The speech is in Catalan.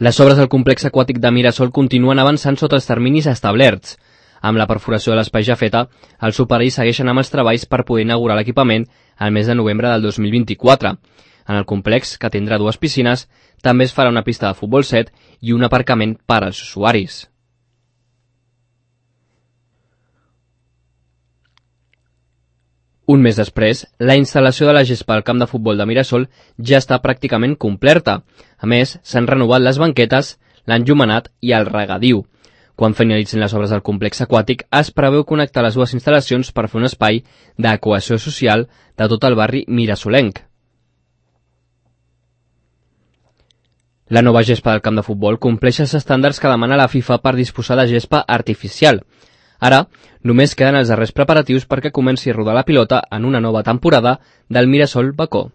Les obres del complex aquàtic de Mirasol continuen avançant sota els terminis establerts. Amb la perforació de l'espai ja feta, els operaris segueixen amb els treballs per poder inaugurar l'equipament al mes de novembre del 2024. En el complex, que tindrà 2 piscines, també es farà una pista de futbol 7 i un aparcament per als usuaris. Un mes després, la instal·lació de la gespa al camp de futbol de Mirasol ja està pràcticament completa. A més, s'han renovat les banquetes, l'enllumenat i el regadiu. Quan finalitzin les obres del complex aquàtic, es preveu connectar les 2 instal·lacions per fer un espai de cohesió social de tot el barri mirasolenc. La nova gespa del camp de futbol compleix els estàndards que demana la FIFA per disposar de gespa artificial. Ara, només queden els darrers preparatius perquè comenci a rodar la pilota en una nova temporada del Mirasol Bacó.